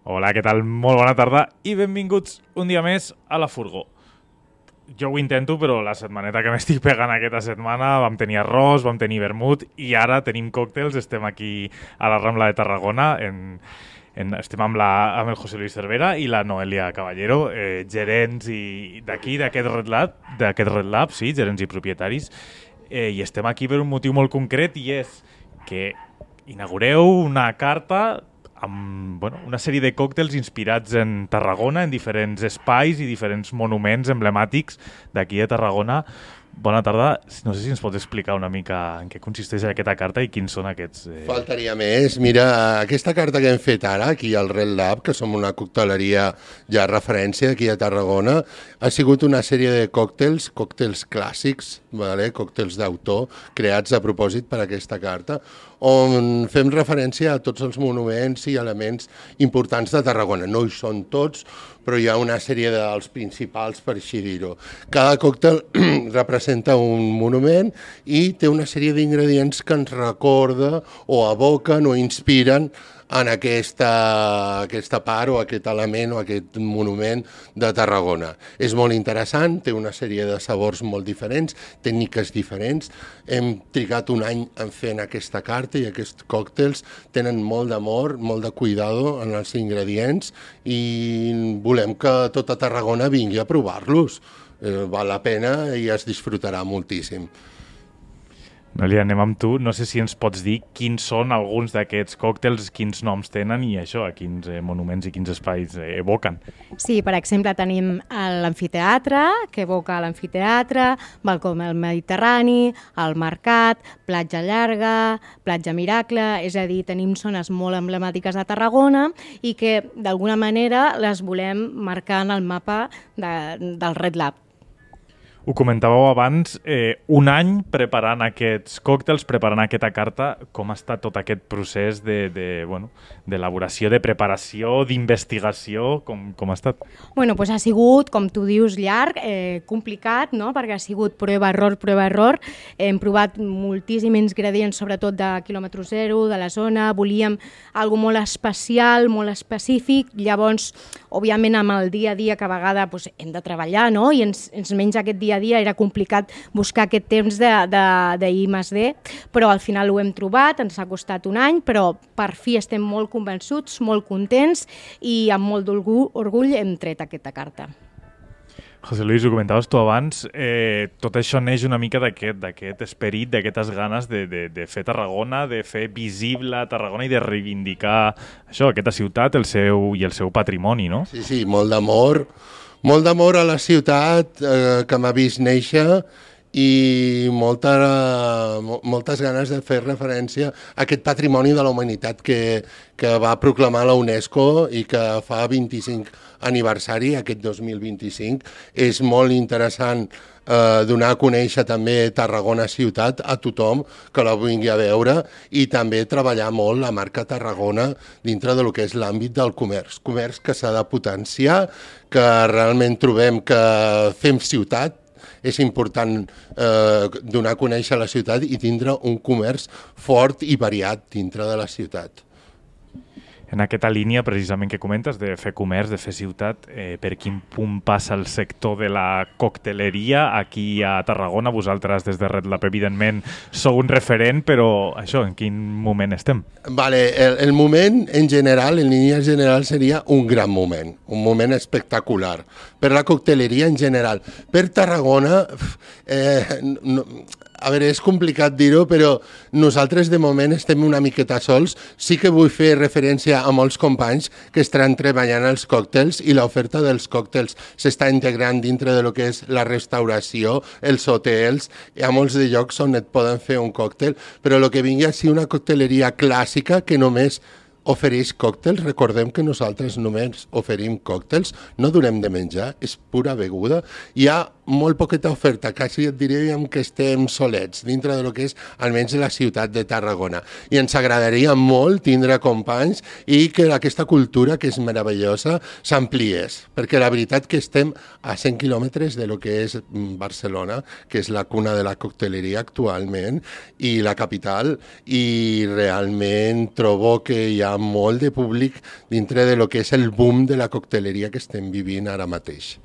Hola, què tal? Molt bona tarda i benvinguts un dia més a la Furgó. Jo ho intento, però la setmaneta que m'estic pegant aquesta setmana vam tenir arròs, vam tenir vermut i ara tenim còctels. Estem aquí a la Rambla de Tarragona, estem amb el José Luis Cervera i la Noelia Caballero, gerents d'aquí, d'aquest Red Lab, sí, gerents i propietaris. I estem aquí per un motiu molt concret i és que inaugureu una carta amb una sèrie de còctels inspirats en Tarragona, en diferents espais i diferents monuments emblemàtics d'aquí de Tarragona. Bona tarda. No sé si ens pots explicar una mica en què consisteix aquesta carta i quins són aquests... Faltaria més. Mira, aquesta carta que hem fet ara, aquí al Red Lab, que som una cocteleria ja referència aquí a Tarragona, ha sigut una sèrie de còctels clàssics, còctels d'autor, creats a propòsit per aquesta carta, on fem referència a tots els monuments i elements importants de Tarragona. No hi són tots, però hi ha una sèrie dels principals, per així dir-ho. Cada còctel representa un monument i té una sèrie d'ingredients que ens recorda o evoquen o inspiren en aquesta part o aquest element o aquest monument de Tarragona. És molt interessant, té una sèrie de sabors molt diferents, tècniques diferents. Hem trigat un any en fent aquesta carta i aquests còctels tenen molt d'amor, molt de cuidado en els ingredients i volem que tota Tarragona vingui a provar-los. Val la pena i es disfrutarà moltíssim. Noelia, anem amb tu. No sé si ens pots dir quins són alguns d'aquests còctels, quins noms tenen i això, a quins monuments i quins espais evoquen. Sí, per exemple, tenim l'amfiteatre, que evoca l'amfiteatre, balcó del Mediterrani, el Mercat, Platja Llarga, Platja Miracle, és a dir, tenim zones molt emblemàtiques de Tarragona i que d'alguna manera les volem marcar en el mapa del Red Lab. Ho comentàveu abans, un any preparant aquests còctels, preparant aquesta carta. Com ha estat tot aquest procés d'elaboració, de preparació, d'investigació? Com ha estat? Doncs ha sigut, com tu dius, llarg, complicat, no? Perquè ha sigut prova-error. Hem provat moltíssims ingredients, sobretot de quilòmetre zero, de la zona. Volíem alguna molt especial, molt específic. Llavors, òbviament, amb el dia a dia que a vegades hem de treballar, no? I ens menja aquest dia a dia, era complicat buscar aquest temps d'I+D, però al final ho hem trobat, ens ha costat un any, però per fi estem molt convençuts, molt contents i amb molt d'orgull hem tret aquesta carta. José Luis, ho comentaves tu abans, tot això neix una mica d'aquest esperit, d'aquestes ganes de fer Tarragona, de fer visible Tarragona i de reivindicar això, aquesta ciutat, el seu patrimoni, no? Sí, molt d'amor a la ciutat que m'ha vist néixer i moltes ganes de fer referència a aquest patrimoni de la humanitat que va proclamar la UNESCO i que fa 25 aniversari, aquest 2025. És molt interessant donar a conèixer també Tarragona ciutat a tothom que la vingui a veure i també treballar molt la marca Tarragona dintre del que és l'àmbit del comerç que s'ha de potenciar, que realment trobem que fem ciutat. És important donar a conèixer la ciutat i tindre un comerç fort i variat dintre de la ciutat. En aquesta línia, precisament, que comentes, de fer comerç, de fer ciutat, per quin punt passa el sector de la cocteleria aquí a Tarragona? Vosaltres, des de Red Lab, evidentment, sou un referent, però això, en quin moment estem? El moment, en general, en línia general, seria un gran moment, un moment espectacular. Per la cocteleria, en general. Per Tarragona, és complicat dir-ho, però nosaltres de moment estem una miqueta sols. Sí que vull fer referència a molts companys que estan treballant els còctels i l'oferta dels còctels s'està integrant dintre de lo que és la restauració, els hotels. Hi ha molts de llocs on et poden fer un còctel, però el que vingui a ser una cocteleria clàssica que només ofereix còctels. Recordem que nosaltres només oferim còctels, no donem de menjar, és pura beguda. Hi ha molt poqueta oferta, quasi et diríem que estem solets dintre del que és almenys la ciutat de Tarragona. I ens agradaria molt tindre companys i que aquesta cultura, que és meravellosa, s'ampliés, perquè la veritat que estem a 100 quilòmetres de lo que és Barcelona, que és la cuna de la cocteleria actualment, i la capital, i realment trobo que hi ha molt de públic dintre de lo que és el boom de la cocteleria que estem vivint ara mateix.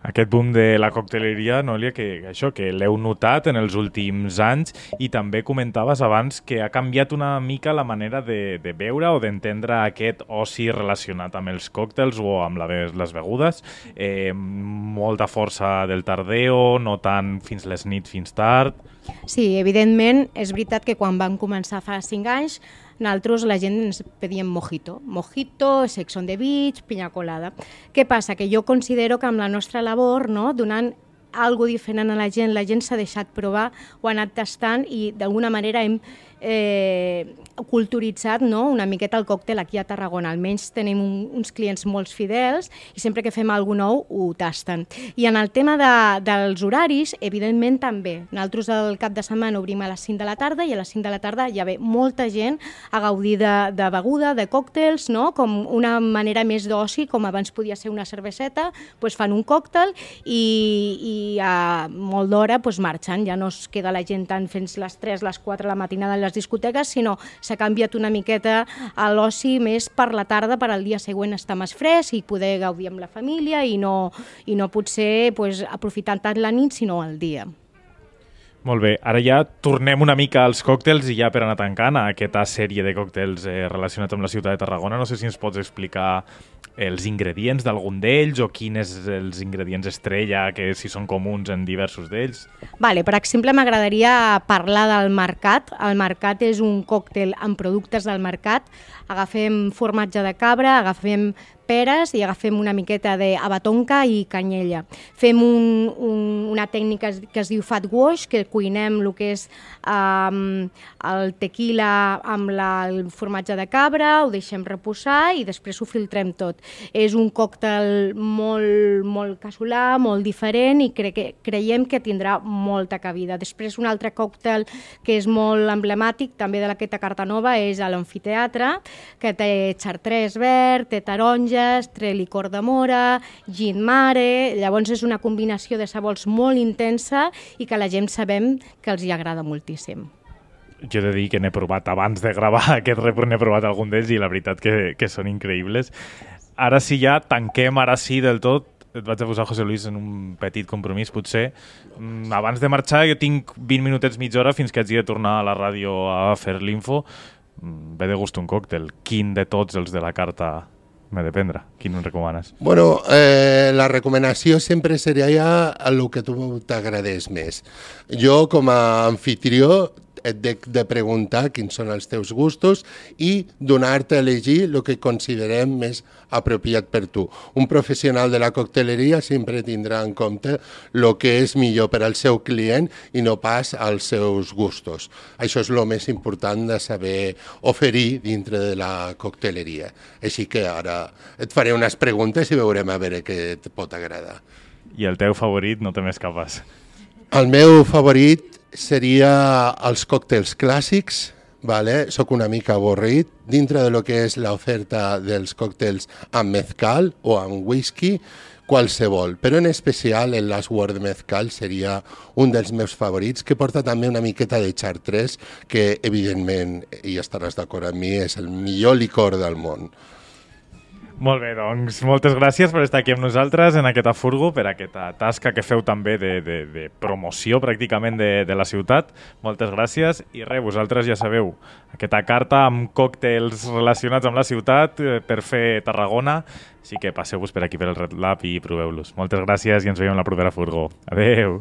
Aquest boom de la cocteleria, Núria, que l'heu notat en els últims anys, i també comentaves abans que ha canviat una mica la manera de beure o d'entendre aquest oci relacionat amb els còctels o amb les begudes. Molta força del tardeo, no tant fins les nits, fins tard. Sí, evidentment, és veritat que quan vam començar fa 5 anys, nosaltres la gent ens pedíem mojito, sex on the beach, piña colada. Què passa? Que jo considero que amb la nostra labor, no, donant algo diferent a la gent s'ha deixat provar, ho ha anat tastant i d'alguna manera hem culturitzat, no, una miqueta el còctel aquí a Tarragona. Almenys tenim uns clients molt fidels i sempre que fem alguna nou ho tasten. I en el tema dels horaris, evidentment també. Nosaltres el cap de setmana obrim a les 5 de la tarda i a les 5 de la tarda ja ve molta gent a gaudir de beguda, de còctels, no? Com una manera més d'oci, com abans podia ser una cerveseta, doncs fan un còctel i a molt d'hora marxen. Ja no es queda la gent tant fins les 3, les 4 de la matinada en les discoteques, sinó s'ha canviat una miqueta a l'oci més per la tarda, per al dia següent estar més fresc i poder gaudir amb la família i no potser aprofitant tant la nit, sinó el dia. Molt bé, ara ja tornem una mica als còctels i ja per anar tancant a aquesta sèrie de còctels relacionats amb la ciutat de Tarragona. No sé si ens pots explicar els ingredients d'algun d'ells o quins els ingredients estrella, que si són comuns en diversos d'ells. Vale, per exemple, m'agradaria parlar del Mercat. El Mercat és un còctel amb productes del mercat. Agafem formatge de cabra, agafem peres i agafem una miqueta d'abatonca i canyella. Fem una tècnica que es diu fat wash, que cuinem el que és el tequila amb el formatge de cabra, ho deixem reposar i després ho filtrem tot. És un còctel molt casolà, molt diferent i creiem que tindrà molta cabida. Després un altre còctel que és molt emblemàtic també de aquesta carta nova és l'amfiteatre, que té xartrés verd, té taronja, té licor de mora, gin mare. Llavors és una combinació de sabors molt intensa i que la gent sabem que els hi agrada moltíssim. Jo he de dir que n'he provat, abans de gravar aquest report n'he provat algun d'ells i la veritat que són increïbles. Ara sí ja tanquem, ara sí del tot. Et vaig a posar, José Luis, en un petit compromís, potser. Abans de marxar jo tinc 20 minutets, mitja hora, fins que hagi de tornar a la ràdio a fer l'info. Ve de gust un còctel. Quin de tots els de la carta m'he de prendre? Quin em recomanes? Bueno, la recomanació sempre seria el que tu t'agradés més. Jo, com a anfitrió, et de preguntar quins són els teus gustos i donar-te a elegir el que considerem més apropiat per tu. Un professional de la cocteleria sempre tindrà en compte el que és millor per al seu client i no pas als seus gustos. Això és el més important de saber oferir dintre de la cocteleria. Així que ara et faré unes preguntes i veurem a veure què et pot agradar. I el teu favorit, no te m'escapes? El meu favorit seria els còctels clàssics, vale? Soc una mica avorrit. Dintre de lo que és l'oferta dels còctels amb mezcal o amb whisky, qualsevol, però en especial el Last Word de mezcal seria un dels meus favorits, que porta també una miqueta de chartres, que evidentment, i estaràs d'acord amb mi, és el millor licor del món. Molt bé, doncs moltes gràcies per estar aquí amb nosaltres en aquesta furgo, per aquesta tasca que feu també de promoció pràcticament de la ciutat. Moltes gràcies i res, vosaltres ja sabeu, aquesta carta amb còctels relacionats amb la ciutat per fer Tarragona, així que passeu-vos per aquí per el Red Lab i proveu-los. Moltes gràcies i ens veiem la propera furgo. Adeu!